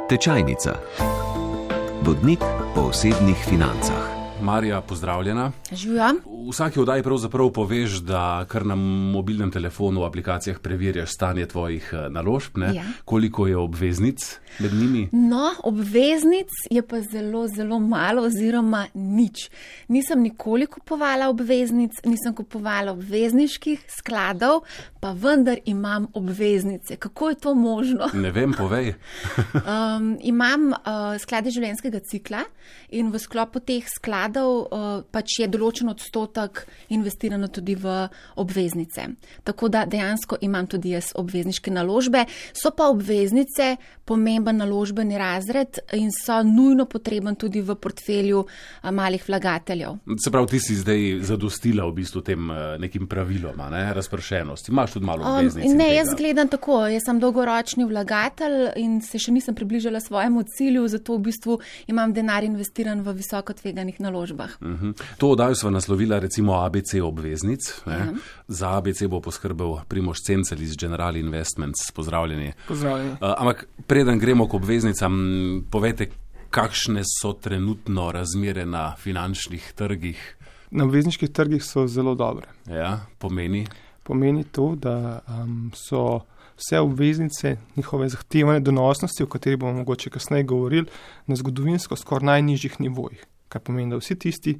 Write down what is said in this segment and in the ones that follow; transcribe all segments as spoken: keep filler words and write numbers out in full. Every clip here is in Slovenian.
Tečajnica. Vodnik po osebnih financah. Marija, pozdravljena. Živja. V vsaki oddaji pravzaprav poveš, da kar na mobilnem telefonu v aplikacijah preverjaš stanje tvojih naložb, ne? Ja. Koliko je obveznic med njimi? No, obveznic je pa zelo, zelo malo oziroma nič. Nisem nikoli kupovala obveznic, nisem kupovala obvezniških skladov, pa vendar imam obveznice. Kako je to možno? Ne vem, povej. um, imam uh, sklade življenjskega cikla in v sklopu teh skladov uh, pač je določen odstotek investirano tudi v obveznice. Tako da dejansko imam tudi jaz obvezniške naložbe. So pa obveznice pomemben naložbeni razred in so nujno potreben tudi v portfelju uh, malih vlagateljev. Se pravi, ti si zdaj zadostila v bistvu tem uh, nekim praviloma, ne? Razpršenosti. Imaš tudi malo obveznic. Um, ne, jaz gledam tako. Jaz sem dolgoročni vlagatelj in se še nisem približala svojemu cilju, zato v bistvu imam denar investiran v visoko tveganih naložbah. Uh-huh. To oddajo sva naslovila recimo A B C obveznic. Ja. Za A B C bo poskrbel Primož Cencel iz General Investments. Pozdravljeni. Pozdravljeni. Uh, ampak preden gremo k obveznicam, povejte, kakšne so trenutno razmere na finančnih trgih? Na obvezniških trgih so zelo dobre. Ja, pomeni? Pomeni to, da um, so vse obveznice, njihove zahtevane donosnosti, o kateri bomo mogoče kasneje govorili, na zgodovinsko skoraj najnižjih nivojih. Kar pomeni, da vsi tisti,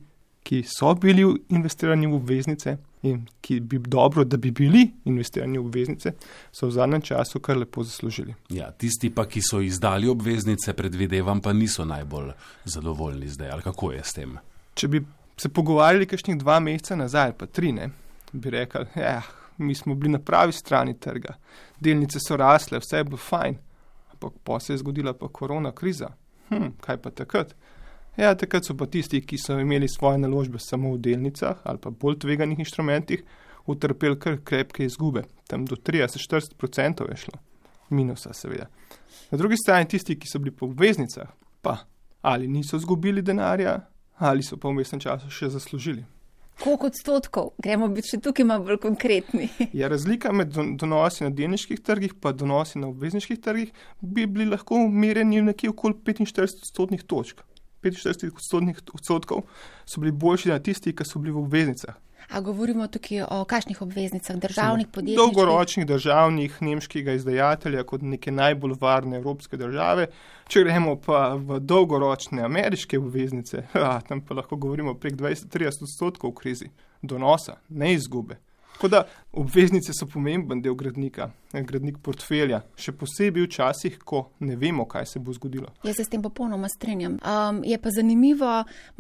ki so bili investirani v obveznice in ki bi dobro, da bi bili investirani v obveznice, so v zadnjem času kar lepo zaslužili. Ja, tisti pa, ki so izdali obveznice, predvidevam, pa niso najbolj zadovoljni zdaj. Ali kako je s tem? Če bi se pogovarjali kakšnih dva meseca nazaj, pa tri, ne, bi rekli, ja, mi smo bili na pravi strani trga, delnice so rasle, vse je bilo fajn, ampak pa se je zgodila pa korona kriza. Hm, kaj pa takrat? Ja, takrat so pa tisti, ki so imeli svoje naložbe samo v delnicah ali pa bolj tveganih inštrumentih, utrpeli kar krepke izgube. Tam do trideset do štirideset procentov je šlo. Minusa seveda. Na drugi strani tisti, ki so bili po obveznicah, pa ali niso izgubili denarja, ali so pa v vmesnem času še zaslužili. Koliko odstotkov? Gremo biti še tukaj malo bolj konkretni. Ja, razlika med donosi na delniških trgih pa donosi na obvezniških trgih bi bili lahko merjeni nekje okoli petinštirideset odstotnih točk. petinštirideset odstotkov so bili boljši na tisti, ki so bili v obveznicah. A govorimo tukaj o kakšnih obveznicah, državnih, podjetniških? Dolgoročnih državnih, nemškega izdajatelja kot neke najbolj varne evropske države. Če gremo pa v dolgoročne ameriške obveznice, a, tam pa lahko govorimo prek dvajset do trideset odstotkov v krizi donosa, ne izgube. Tako da obveznice so pomemben del gradnika, gradnik portfelja, še posebej v časih, ko ne vemo, kaj se bo zgodilo. Jaz se s tem popolnoma strinjam. Um, je pa zanimivo,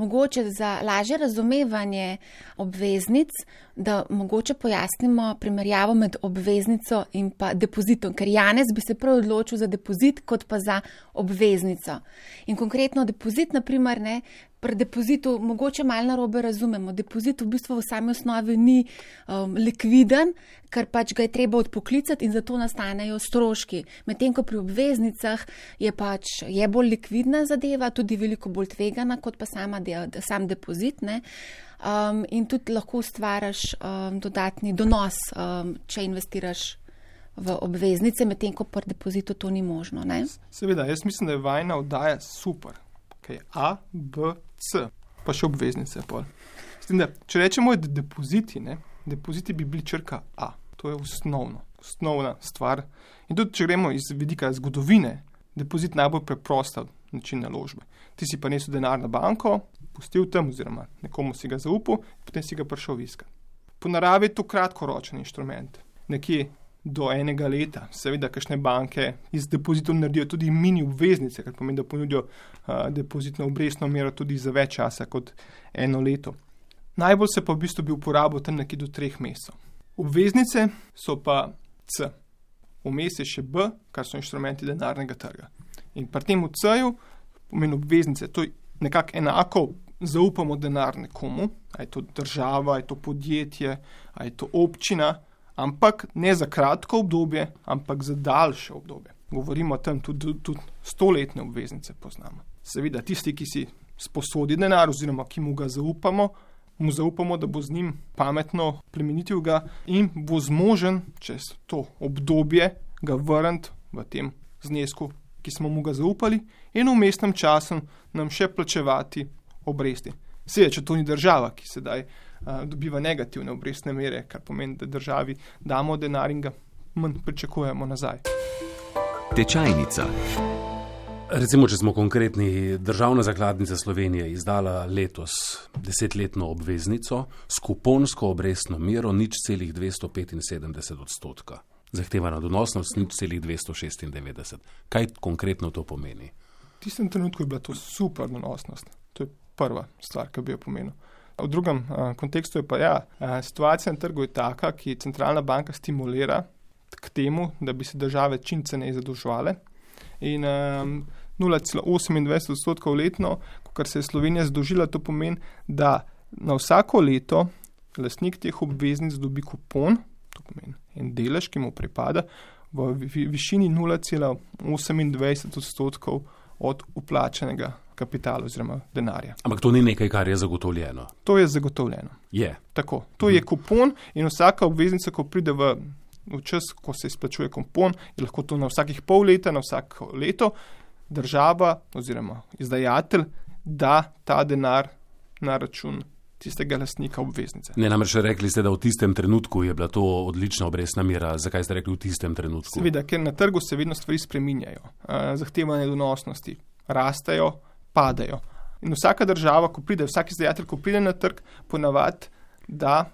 mogoče za lažje razumevanje obveznic, da mogoče pojasnimo primerjavo med obveznico in pa depozitom, ker Janez bi se prav odločil za depozit, kot pa za obveznico. In konkretno depozit, na primer, ne, pri depozitu mogoče malo narobe razumemo. Depozit v bistvu v sami osnovi ni um, likviden, ker pač ga je treba odpoklicati in zato nastanejo stroški. Medtem ko pri obveznicah je pač je bolj likvidna zadeva, tudi veliko bolj tvegana kot pa sama de, sam depozit, ne. Um, in tudi lahko ustvaraš um, dodatni donos, um, če investiraš v obveznice, medtem ko pri depozitu to ni možno, ne. Seveda, jaz mislim, da je vajna oddaja super. Okay. A, B, C, pa še obveznice. Da, če rečemo, da depoziti, ne, depoziti bi bili črka A. To je osnovno, osnovna stvar. In tudi, če gremo iz vidika zgodovine, depozit najbolj preprosta način naložbe. Ti si pa nesel denar na banko, pustil tam oziroma nekomu si ga zaupal, potem si ga prišel iskati. Po naravi je to kratkoročen inštrument. Nekje do enega leta. Seveda, kakšne banke iz depozitov naredijo tudi mini obveznice, kar pomeni, da ponudijo uh, depozitno obrestno mero tudi za več časa kot eno leto. Najbolj se pa v bistvu bi uporabil tam nekje do treh mesecev. Obveznice so pa C. Vmes je še B, kar so inštrumenti denarnega trga. In pri tem v C-ju pomeni obveznice. To je nekako enako zaupamo denar nekomu, a je to država, a je to podjetje, a je to občina, ampak ne za kratko obdobje, ampak za daljše obdobje. Govorimo tam tudi, tudi stoletne obveznice poznamo. Seveda, tisti, ki si sposodi denar oziroma ki mu ga zaupamo, mu zaupamo, da bo z njim pametno plemenitil ga in bo zmožen čez to obdobje ga vrniti v tem znesku, ki smo mu ga zaupali, in v mestnem času nam še plačevati obresti. Seveda, če to ni država, ki sedaj uh, dobiva negativne obrestne mere, kar pomeni, da državi damo denar in ga manj pričakujemo nazaj. Tečajnica. Recimo, če smo konkretni, Državna zakladnica Slovenije izdala letos desetletno obveznico s kuponsko obrestno mero nič celih dvesto petinsedemdeset odstotka. Zahtevana donosnost nič celih dvesto šestindevetdeset. Kaj konkretno to pomeni? V tistem trenutku je bila to super donosnost. To je prva stvar, ki bi jo pomenil. V drugem a, kontekstu je pa ja, a, situacija na trgu je taka, ki centralna banka stimulira k temu, da bi se države čim ceneje zadolževale. In um, nula celih osemindvajset odstotkov letno, kar se je Slovenija zadolžila, to pomeni, da na vsako leto lastnik teh obveznic dobi kupon, to pomeni en delež, ki mu pripada, v višini nula celih osemindvajset odstotkov od uplačenega kapitala oziroma denarja. Ampak to ni nekaj, kar je zagotovljeno. To je zagotovljeno. Je. Tako. To je kupon in vsaka obveznica, ko pride v v čas, ko se izplačuje kupon, je lahko to na vsakih pol leta, na vsako leto, država oziroma izdajatelj da ta denar na račun tistega lastnika obveznice. Ne, namreč rekli ste, da v tistem trenutku je bila to odlična obrestna mera. Zakaj ste rekli v tistem trenutku? Seveda, ker na trgu se vedno stvari spreminjajo. Zahtevane donosnosti rastejo, padajo. In vsaka država, ko pride, vsak izdajatelj, ko pride na trg, ponavadi da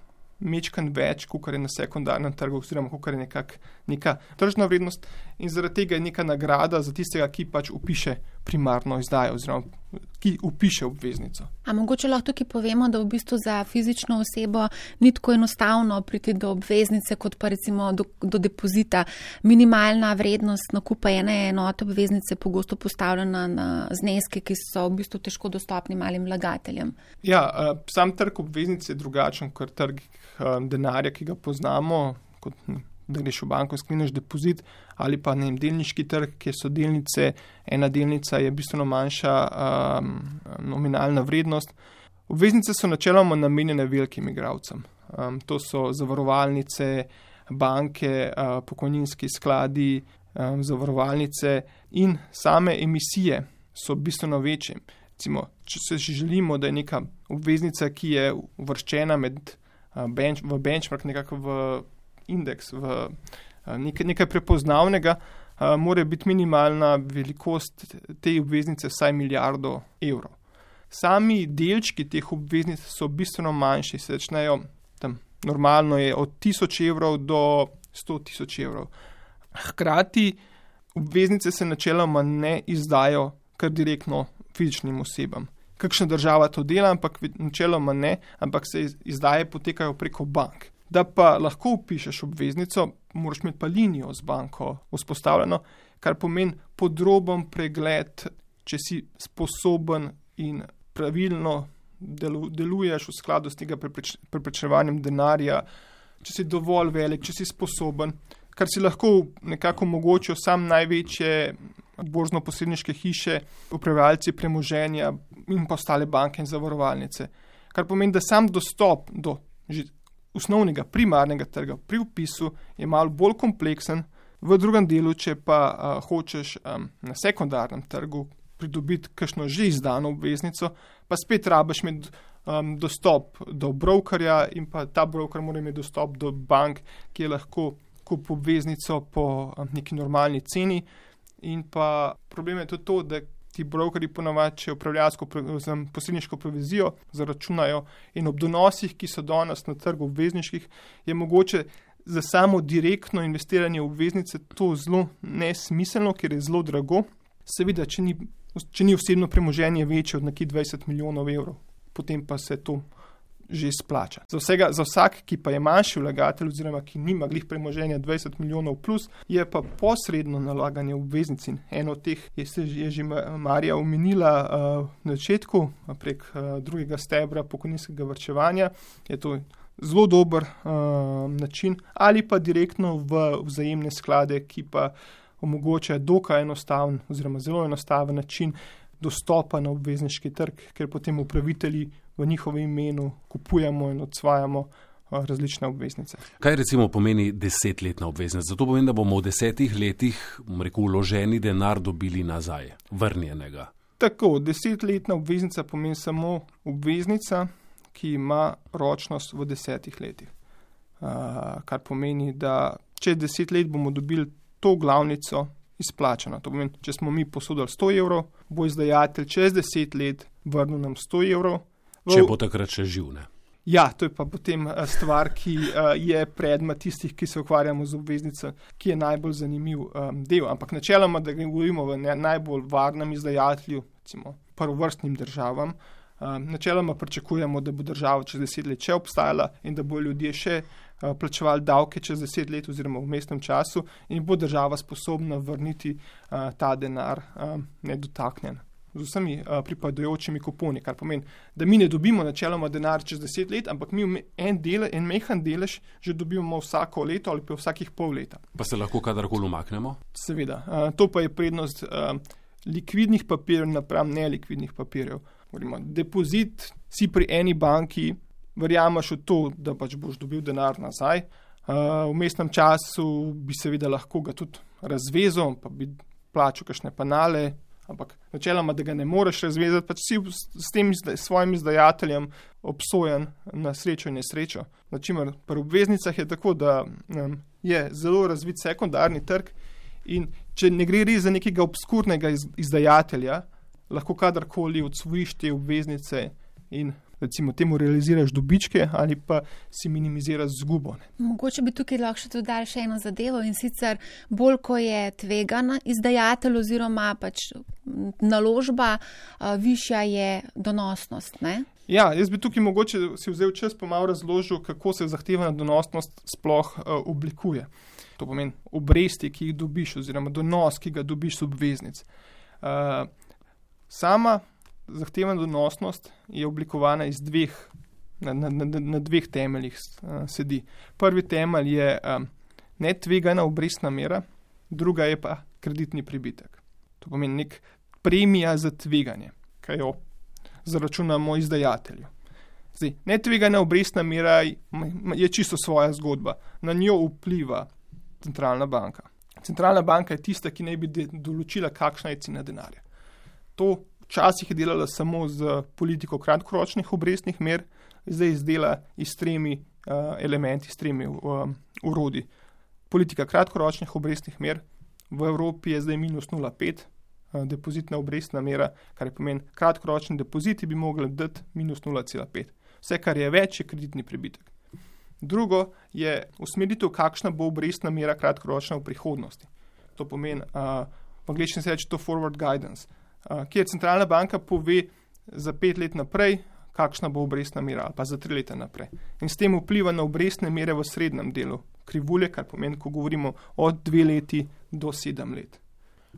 mečkan več, kakor je na sekundarnem trgu, oziroma kakor je nekak, neka tržna vrednost, in zaradi tega je neka nagrada za tistega, ki pač upiše primarno izdajo, oziroma ki upiše obveznico. A mogoče lahko tukaj povemo, da v bistvu za fizično osebo ni tako enostavno priti do obveznice, kot pa recimo do, do depozita. Minimalna vrednost nakupa ene enote obveznice pogosto postavljena na zneske, ki so v bistvu težko dostopni malim vlagateljem. Ja, sam trg obveznic je drugačen, kot trg denarja, ki ga poznamo, kot da greš v banko, skleneš depozit, ali pa ne vem, delniški trg, kjer so delnice, ena delnica je bistveno manjša um, nominalna vrednost. Obveznice so načeloma namenjene velikim igralcem. Um, to so zavarovalnice, banke, uh, pokojninski skladi, um, zavarovalnice in same emisije so bistveno večje. Recimo, če se želimo, da je neka obveznica, ki je uvrščena med, uh, bench, v benchmark, nekako v indeks, v nekaj, nekaj prepoznavnega, mora biti minimalna velikost te obveznice vsaj milijardo evrov. Sami delčki teh obveznic so bistveno manjši, se začnejo tam, normalno je od tisoč evrov do sto tisoč evrov. Hkrati obveznice se načeloma ne izdajo kar direktno fizičnim osebam. Kakšna država to dela, ampak načeloma ne, ampak se izdaje potekajo preko bank. Da pa lahko upišeš obveznico, moraš imeti pa linijo z banko vzpostavljeno, kar pomeni podroben pregled, če si sposoben in pravilno delu, deluješ v skladu s tega prepreč, preprečevanjem denarja, če si dovolj velik, če si sposoben, kar si lahko nekako omogočijo sam največje borzno-posredniške hiše, upravljalci premoženja in pa ostale banke in zavarovalnice. Kar pomeni, da sam dostop do že osnovnega primarnega trga pri vpisu je malo bolj kompleksen, v drugem delu, če pa a, hočeš a, na sekundarnem trgu pridobiti kakšno že izdano obveznico, pa spet rabiš imeti um, dostop do brokerja in pa ta broker mora imeti dostop do bank, ki je lahko kup obveznico po um, neki normalni ceni. In pa problem je tudi to, da ti brokeri ponavadi, če upravljalsko posredniško provizijo zaračunajo in ob donosih, ki so danes na trgu obvezniških, je mogoče za samo direktno investiranje v obveznice to zelo nesmiselno, ker je zelo drago. Seveda, če ni, če ni osebno premoženje večje od nekih dvajset milijonov evrov, potem pa se to že splača. Za, vsega, za vsak, ki pa je manjši vlagatelj oziroma ki nima glih premoženja dvajset milijonov plus, je pa posredno nalaganje obveznic. Eno od teh je, je že Marija omenila uh, na začetku prek uh, drugega stebra pokojninskega varčevanja. Je to zelo dober uh, način, ali pa direktno v vzajemne sklade, ki pa omogočajo dokaj enostaven oziroma zelo enostaven način dostopa na obvezniški trg, ker potem upravitelji v njihovem imenu kupujemo in odsvajamo različne obveznice. Kaj recimo pomeni desetletna obveznica? Zato pomeni, da bomo v desetih letih, bom rekel, vloženi denar dobili nazaj, vrnjenega. Tako, desetletna obveznica pomeni samo obveznica, ki ima ročnost v desetih letih. Uh, kar pomeni, da čez deset let bomo dobili to glavnico izplačano. To pomeni, če smo mi posodili sto evrov, bo izdajatelj čez deset let vrnil nam sto evrov. V... Če bo takrat še živ, ne? Ja, to je pa potem stvar, ki uh, je predmet tistih, ki se ukvarjamo z obveznico, ki je najbolj zanimiv um, del. Ampak načeloma, da govorimo v ne, najbolj varnem izdajatelju, recimo prvovrstnim državam, um, načeloma pričakujemo, da bo država čez deset let še obstajala in da bo ljudje še uh, plačevali davke čez deset let oziroma v mestnem času in bo država sposobna vrniti uh, ta denar um, nedotaknjen. Z vsemi uh, pripadajočimi kuponi, kar pomeni, da mi ne dobimo načeloma denar čez deset let, ampak mi en, dele, en mehan delež že dobimo vsako leto ali pa vsakih pol leta. Pa se lahko kadarkoli umaknemo? Seveda. Uh, to pa je prednost uh, likvidnih papirjev napram nelikvidnih papirjev. Govorimo, depozit si pri eni banki, verjameš v to, da pač boš dobil denar nazaj. Uh, v mestnem času bi seveda lahko ga tudi razvezal, pa bi plačal kakšne penale, ampak načeloma, da ga ne moreš razvezati, pač si s tem izda, svojim izdajateljem obsojen na srečo in nesrečo. Načimer, pri obveznicah je tako, da um, je zelo razvit sekundarni trg in če ne gre res za nekega obskurnega iz, izdajatelja, lahko kadarkoli odsvojiš te obveznice in recimo temu realiziraš dobičke ali pa si minimiziraš izgubo. Mogoče bi tukaj lahko še dodali še eno zadevo in sicer bolj, ko je tvegan izdajatelj oziroma pač naložba, višja je donosnost, ne? Ja, jaz bi tukaj mogoče si vzel čas pa malo razložil, kako se zahtevana donosnost sploh uh, oblikuje. To pomeni obresti, ki jih dobiš oziroma donos, ki ga dobiš z obveznic. Uh, sama zahtevana donosnost je oblikovana iz dveh, na, na, na, na dveh temeljih uh, sedi. Prvi temelj je um, netvegana obrestna mera, druga je pa kreditni pribitek. To pomeni nek premija za tveganje, kaj jo zaračunamo izdajatelju. Zdaj, netvegana obrestna mera je čisto svoja zgodba. Na njo vpliva centralna banka. Centralna banka je tista, ki naj bi de- določila, kakšna je cena denarja. To včasih je delala samo z politiko kratkoročnih obrestnih mer, zdaj izdela iz tremi uh, elementi, s tremi uh, urodi. Politika kratkoročnih obrestnih mer, v Evropi je zdaj minus nula celih pet, uh, depozitna obrestna mera, kar je pomeni, kratkoročni depoziti bi mogli dati minus nula celih pet. Vse, kar je več, je kreditni pribitek. Drugo je usmeritev, kakšna bo obrestna mera kratkoročna v prihodnosti. To pomeni, uh, v angleščini se reče to forward guidance, Uh, kjer centralna banka pove za pet let naprej, kakšna bo obrestna mera ali pa za tri leta naprej. In s tem vpliva na obrestne mere v srednjem delu krivulje, kar pomeni, ko govorimo od dve leti do sedem let.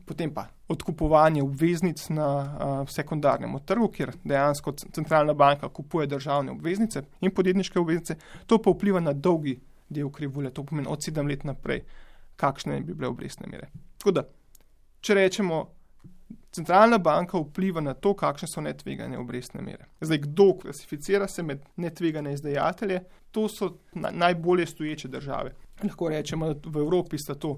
Potem pa odkupovanje obveznic na uh, sekundarnem trgu, kjer dejansko centralna banka kupuje državne obveznice in podjetniške obveznice, to pa vpliva na dolgi del krivulje, to pomeni od sedem let naprej, kakšne bi bile obrestne mere. Tako da, če rečemo, centralna banka vpliva na to, kakšne so netvegane obrestne mere. Zdaj, kdo klasificira se med netvegane izdajatelje? To so na, najbolje stoječe države. Lahko rečemo, da v Evropi sta to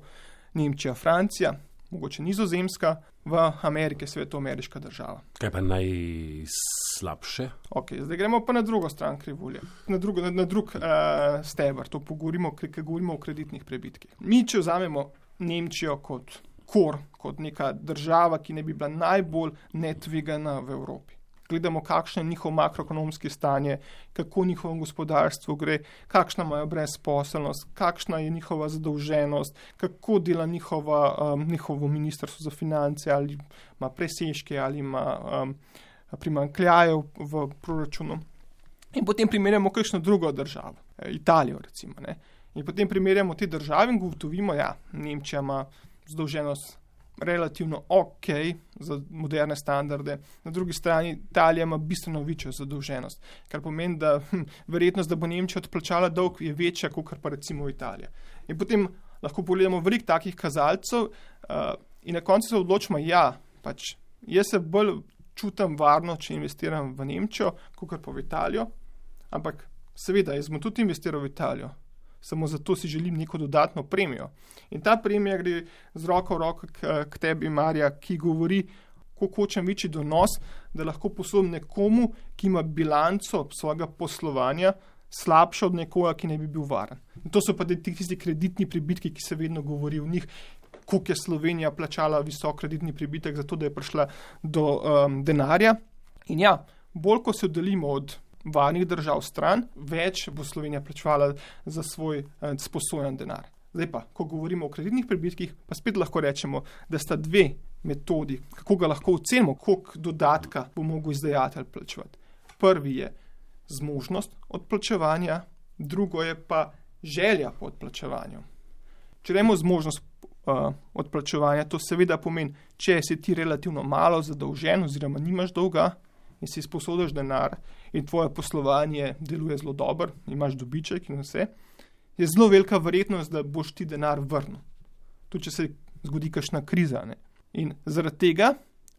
Nemčija, Francija, mogoče Nizozemska, v Ameriki seveda to ameriška država. Kaj pa najslabše? Ok, zdaj gremo pa na drugo stran krivulje, na, drugo, na, na drug uh, steber, to pogovorimo, ker govorimo o kreditnih prebitkih. Mi, če vzamemo Nemčijo kot kor, kot neka država, ki ne bi bila najbolj netvegana v Evropi. Gledamo, kakšno je njihov makroekonomski stanje, kako njihovo gospodarstvo gre, kakšna imajo brezposelnost, kakšna je njihova zadolženost, kako dela njihova, um, njihovo ministrstvo za finance, ali ima presežke, ali ima um, primanjkljajev v proračunu. In potem primerjamo kakšno drugo državo, Italijo recimo. Ne? In potem primerjamo te države in gotovimo, ja, Nemčija ima zadolženost relativno ok za moderne standarde, na drugi strani Italija ima bistveno večjo zadolženost, kar pomeni, da hm, verjetnost, da bo Nemčija odplačala dolg, je večja, kot pa recimo Italija. In potem lahko pogledamo veliko takih kazalcev uh, in na koncu se odločimo, ja, pač jaz se bolj čutim varno, če investiram v Nemčijo, kot pa v Italijo, ampak seveda, jaz bom tudi investiral v Italijo, samo zato si želim neko dodatno premijo. In ta premija gre z roko v roko k, k tebi, Marja, ki govori, koliko hočem večji donos, da lahko posodam nekomu, ki ima bilanco svojega poslovanja slabša od nekoga, ki ne bi bil varen. In to so pa tisti kreditni pribitki, ki se vedno govori o njih, koliko je Slovenija plačala visok kreditni pribitek, zato da je prišla do um, denarja. In ja, bolj ko se oddaljimo od varnih držav stran, več bo Slovenija plačevala za svoj eh, sposojen denar. Zdaj pa, ko govorimo o kreditnih pribitkih, pa spet lahko rečemo, da sta dve metodi, kako ga lahko ocenimo, koliko dodatka bo mogel izdajatelj plačevati. Prvi je zmožnost odplačevanja, drugo je pa želja po odplačevanju. Če rečemo zmožnost uh, odplačevanja, to seveda pomeni, če si ti relativno malo zadolžen oziroma nimaš dolga in si sposodiš denar in tvoje poslovanje deluje zelo dobro, imaš dobiček in vse, je zelo velika verjetnost, da boš ti denar vrnil. Tudi če se zgodi kakšna kriza. Ne? In zaradi tega,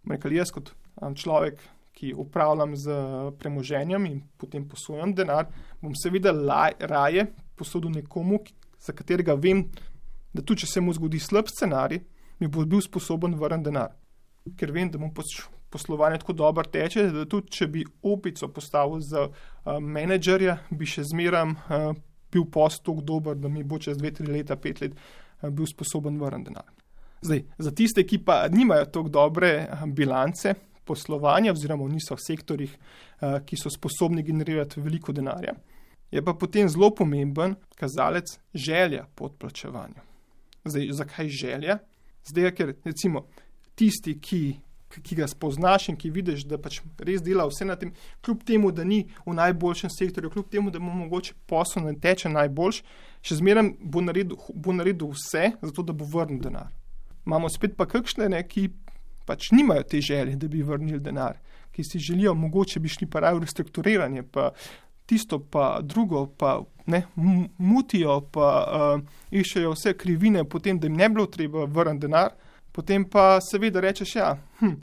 rekel jaz kot um, človek, ki upravljam z premoženjem in potem posojam denar, bom seveda laj, raje posodil nekomu, za katerega vem, da tudi če se mu zgodi slab scenarij, mi bo bil sposoben vrniti denar. Ker vem, da mu poslovanje tako dobro teče, da tudi če bi opico postavil za uh, menedžerja, bi še zmeram uh, bil post tako dober, da mi bo čez dve, tri leta, pet let uh, bil sposoben vrniti denar. Zdaj, za tiste, ki pa nimajo tako dobre uh, bilance poslovanja oziroma niso v sektorjih, uh, ki so sposobni generirati veliko denarja, je pa potem zelo pomemben kazalec želja po odplačevanju. Zdaj, zakaj želja? Zdaj, ker recimo tisti, ki, ki ga spoznaš in ki vidiš, da pač res dela vse na tem, kljub temu, da ni v najboljšem sektorju, kljub temu, da mu mogoče posel ne teče najboljš, še zmeraj bo naredil, bo naredil vse, zato da bo vrnil denar. Imamo spet pa kakšne, ne, ki pač nimajo te želje, da bi vrnili denar, ki si želijo, mogoče bi šli pa raje v restrukturiranje, pa tisto pa drugo, pa ne, mutijo, pa uh, iščejo vse krivine, potem, da jim ne bilo treba vrniti denar, potem pa seveda rečeš, ja, hm,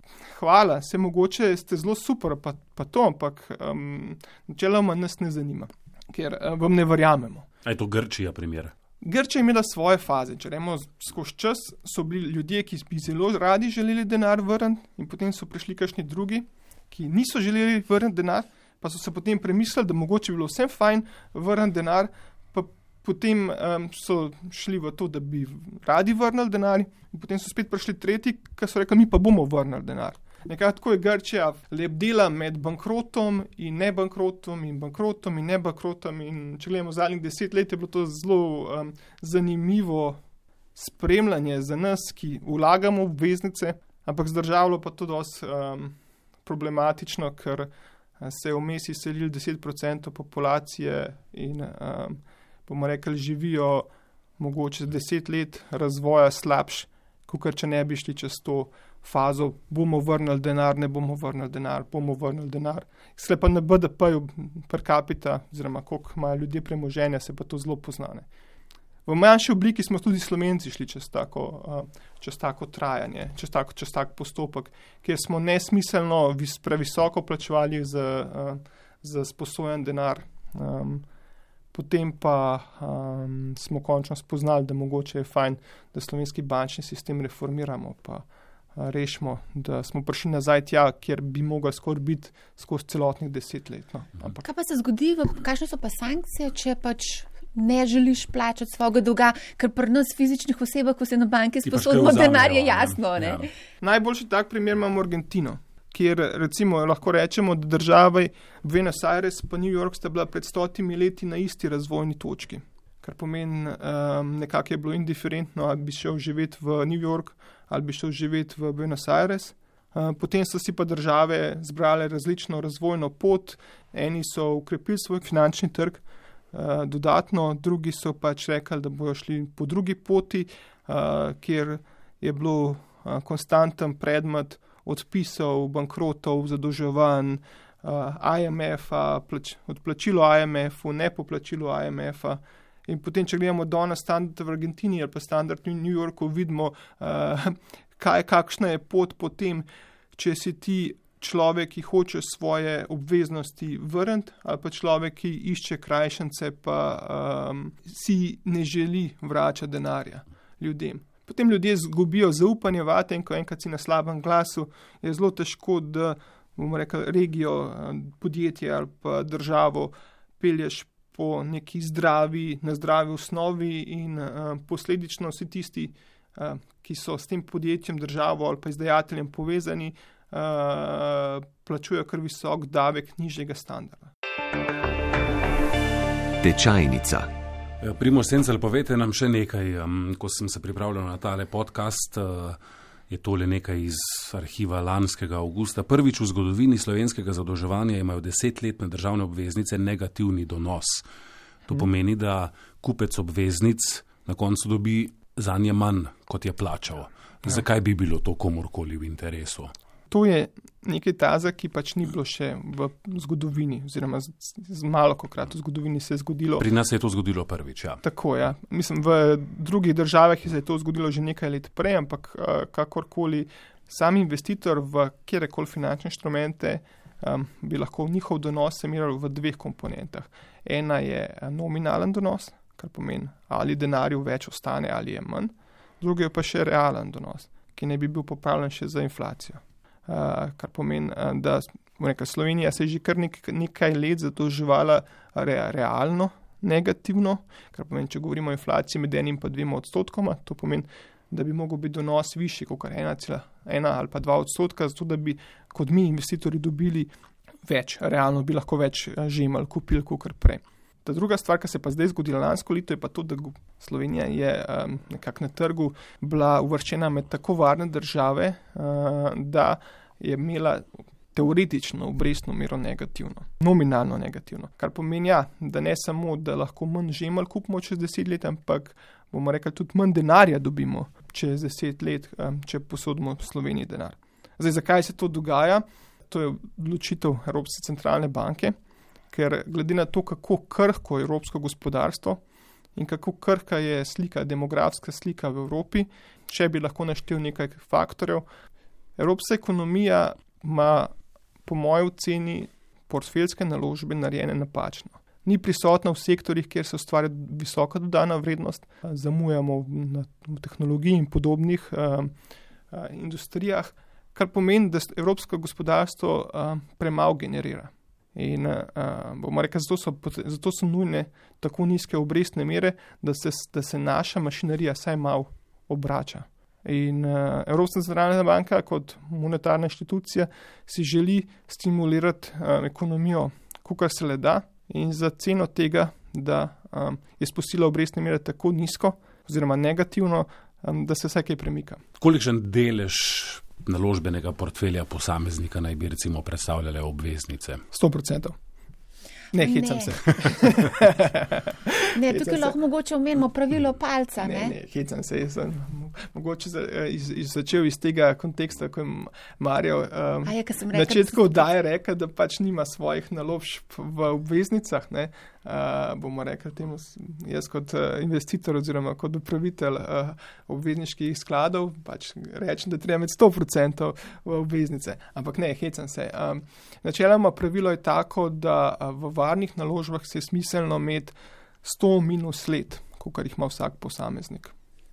hvala, se mogoče ste zelo super, pa, pa to, ampak um, načeloma nas ne zanima, ker uh, vam ne verjamemo. A je to Grčija primer? Grčija je imela svoje faze. Če rečemo, skozi čas so bili ljudje, ki bi zelo radi želeli denar vrniti in potem so prišli kakšni drugi, ki niso želeli vrniti denar, pa so se potem premislili, da mogoče bi bilo vsem fajn vrniti denar, pa potem um, so šli v to, da bi radi vrnili denar in potem so spet prišli tretji, ki so rekli, mi pa bomo vrnili denar. Nekako tako je Grčija lebdela med bankrotom in ne bankrotom in bankrotom in ne bankrotom in če gledamo zadnjih deset let, je bilo to zelo um, zanimivo spremljanje za nas, ki vlagamo v obveznice, ampak z državo pa to dosti um, problematično, ker se je vmes izselilo deset procentov populacije in um, bomo rekli, živijo mogoče deset let razvoja slabš, kot če ne bi šli čez to fazo, bomo vrnili denar, ne bomo vrnili denar, bomo vrnili denar. Sle pa na B D P-ju per capita, oziroma koliko imajo ljudje premoženja, se pa to zelo poznane. V manjši obliki smo tudi Slovenci šli čez tako, uh, čez tako trajanje, čez tako, čez tak postopek, kjer smo nesmiselno vis, previsoko plačevali za, uh, za sposojen denar. Um, Potem pa um, smo končno spoznali, da mogoče je fajn, da slovenski bančni sistem reformiramo, pa uh, rešimo, da smo prišli nazaj tja, kjer bi mogli skoraj biti skozi celotnih deset let. No. Ampak... Kaj pa se zgodi, kakšne so pa sankcije, če pač ne želiš plačati svojega dolga, ker pri nas fizičnih osebah, ko se na banki sposodimo denar, je jasno. Ne? Ja. Najboljši tak primer imamo Argentino, kjer recimo lahko rečemo, da države Buenos Aires pa New York sta bila pred stotimi leti na isti razvojni točki. Kar pomeni, um, nekako je bilo indiferentno, ali bi šel živeti v New York, ali bi šel živeti v Buenos Aires. Uh, potem so si pa države zbrale različno razvojno pot, eni so ukrepili svoj finančni trg uh, dodatno, drugi so pač rekli, da bojo šli po drugi poti, uh, kjer je bilo uh, konstanten predmet odpisov, bankrotov, zadolževanj, uh, I M F-a, plač, odplačilo I M F-u, nepoplačilo I M F-a. In potem, če gledamo danes standard v Argentini ali pa standard v New Yorku, vidimo, uh, kaj, kakšna je pot potem, če si ti človek, ki hoče svoje obveznosti vrniti, ali pa človek, ki išče krajšance, pa um, si ne želi vračati denarja ljudem. Potem ljudje zgubijo zaupanje vate in ko enkrat si na slabem glasu, je zelo težko, da bomo rekli regijo, podjetje ali pa državo pelješ po neki zdravi, na zdravi osnovi in uh, posledično vsi tisti, uh, ki so s tem podjetjem, državo ali pa izdajateljem povezani, uh, plačujejo kar visok davek nižjega standarda. Tečajnica. Primož Sencelj, povejte nam še nekaj. Um, ko sem se pripravljal na tale podcast, uh, je tole nekaj iz arhiva lanskega avgusta. Prvič v zgodovini slovenskega zadolževanja imajo desetletne državne obveznice negativni donos. To pomeni, da kupec obveznic na koncu dobi zanje manj, kot je plačal. Zakaj bi bilo to komorkoli v interesu? To je nekaj taza, ki pač ni bilo še v zgodovini, oziroma z, z malokokrat v zgodovini se je zgodilo. Pri nas se je to zgodilo prvič, ja. Tako, ja. Mislim, v drugih državah se je to zgodilo že nekaj let prej, ampak uh, kakorkoli sam investitor v kjerekoli finančne inštrumente um, bi lahko njihov donos meriral v dveh komponentah. Ena je nominalen donos, kar pomeni, ali denarju več ostane ali je manj. Drugi je pa še realen donos, ki ne bi bil popravljen še za inflacijo. Uh, kar pomeni, uh, da reka, Slovenija se je že kar nek, nekaj let zadolževala re, realno negativno, kar pomeni, če govorimo o inflaciji med enim pa dvema odstotkoma, to pomeni, da bi mogel biti donos višji kot ena cela ena ali pa dva odstotka, zato da bi kot mi investitorji dobili več, realno bi lahko več žemelj kupili kot prej. Ta druga stvar, ki se pa zdaj zgodila lansko leto, je pa to, da Slovenija je um, nekako na trgu bila uvrščena med tako varne države, uh, da je imela teoretično obrestno mero negativno, nominalno negativno. Kar pomeni, ja, da ne samo, da lahko manj žemelj kupimo čez deset let, ampak bomo rekli, tudi manj denarja dobimo čez deset let, um, če posodimo v Sloveniji denar. Zdaj, zakaj se to dogaja? To je odločitev Evropske centralne banke, ker glede na to, kako krhko je evropsko gospodarstvo in kako krhka je slika, demografska slika v Evropi, če bi lahko naštel nekaj faktorjev. Evropska ekonomija ima po moji oceni portfeljske naložbe narejene napačno. Ni prisotna v sektorjih, kjer se ustvarja visoka dodana vrednost, zamujamo na tehnologiji in podobnih uh, uh, industrijah, kar pomeni, da evropsko gospodarstvo uh, premalo generira. In uh, bomo rekli, zato so, zato so nujne tako nizke obrestne mere, da se, da se naša mašinerija saj malo obrača. In uh, Evropska centralna banka kot monetarna inštitucija si želi stimulirati uh, ekonomijo, kolikor se le da, in za ceno tega, da um, je spustila obrestne mere tako nizko oziroma negativno, um, da se vsaj kaj premika. Kolikšen delež naložbenega portfelja posameznika naj bi recimo predstavljale obveznice? sto procentov. Ne, hecam se. Ne, tukaj lahko mogoče omenimo pravilo palca. Ne, ne, ne hecam se. Jaz sem mogoče za, iz, iz, začel iz tega konteksta, ko je Marjo um, je, na začetku oddaje rekel, da pač nima svojih naložb v obveznicah. Ne. Uh, bomo rekli temu, jaz kot uh, investitor oziroma kot upravitelj uh, obvezniških skladov, pač rečem, da treba imeti sto procentov v obveznice. Ampak ne, hecam se. Um, načeloma pravilo je tako, da uh, v varnih naložbah se je smiselno imeti sto minus let, kolikor jih ima vsak posameznik.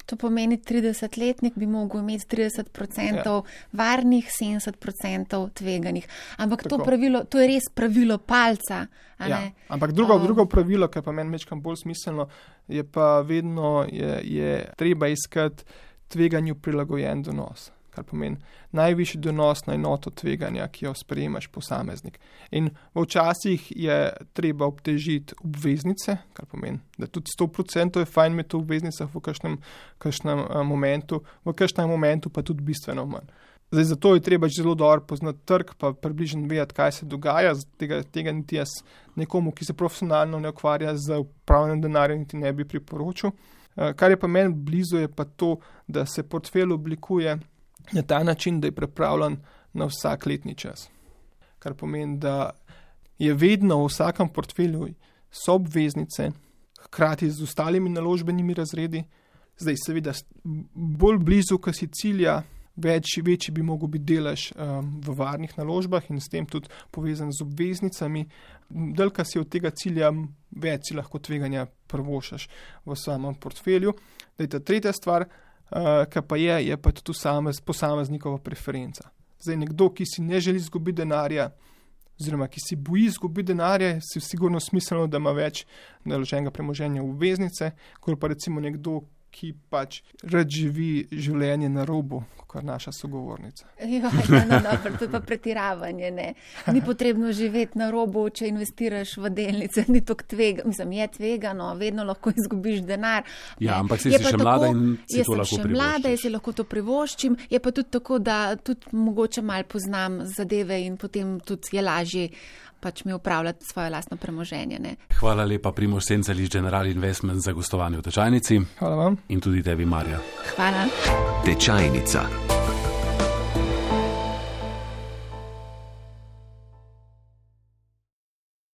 To pomeni, tridesetletnik bi mogel imeti trideset procentov ja. varnih, sedemdeset procentov tveganih. Ampak to, pravilo, to je res pravilo palca. A ja. ne? Ampak drugo, um, drugo pravilo, ki pa meni mečkam bolj smiselno, je pa vedno je, je treba iskati tveganju prilagojen donos. Kar pomeni najvišji donos na enoto tveganja, ki jo sprejemaš posameznik. In včasih je treba obtežiti obveznice, kar pomeni, da tudi sto procentov je fajn imeti v obveznicah v kakšnem, kakšnem momentu, v kakšnem momentu pa tudi bistveno manj. Zdaj, zato je treba zelo dobro poznati trg, pa približno vedeti, kaj se dogaja. Tega, tega niti jaz nekomu, ki se profesionalno ne ukvarja z upravljanjem denarja, niti ne bi priporočil. Kar je pa meni blizu, je pa to, da se portfelj oblikuje na ta način, da je pripravljen na vsak letni čas. Kar pomeni, da je vedno v vsakem portfelju so obveznice, hkrati z ostalimi naložbenimi razredi. Zdaj seveda bolj blizu, ko si cilja, več, večji bi mogel biti delež um, v varnih naložbah in s tem tudi povezan z obveznicami. Dalj, si od tega cilja, več si lahko tveganja prvošaš v samem portfelju. Daj, ta tretja stvar, uh, ki pa je, je pa tudi posameznikova preferenca. Zdaj, nekdo, ki si ne želi izgubiti denarja, oziroma ki si boji izgubiti denarja, si sigurno smiselno, da ima več naloženega premoženja v obveznice, kot pa recimo nekdo, ki pač rad živi življenje na robu, kot naša sogovornica. Ja, no, no, no, to je pa pretiravanje, ne. Ni potrebno živeti na robu, če investiraš v delnice, ni to tvega, mislim, je tvegano, vedno lahko izgubiš denar. Ja, ne. ampak si si še tako, mlada in si to lahko privoščiš. Jaz sem še mlada, jaz si lahko to privoščim, je pa tudi tako, da tudi mogoče malo poznam zadeve in potem tudi je lažje pač mi upravljati svoje lastno premoženje. Ne. Hvala lepa, Primož Sencel iz General Investment za gostovanje v Tečajnici. Hvala vam. In tudi tebi, Marja. Hvala. Tečajnica.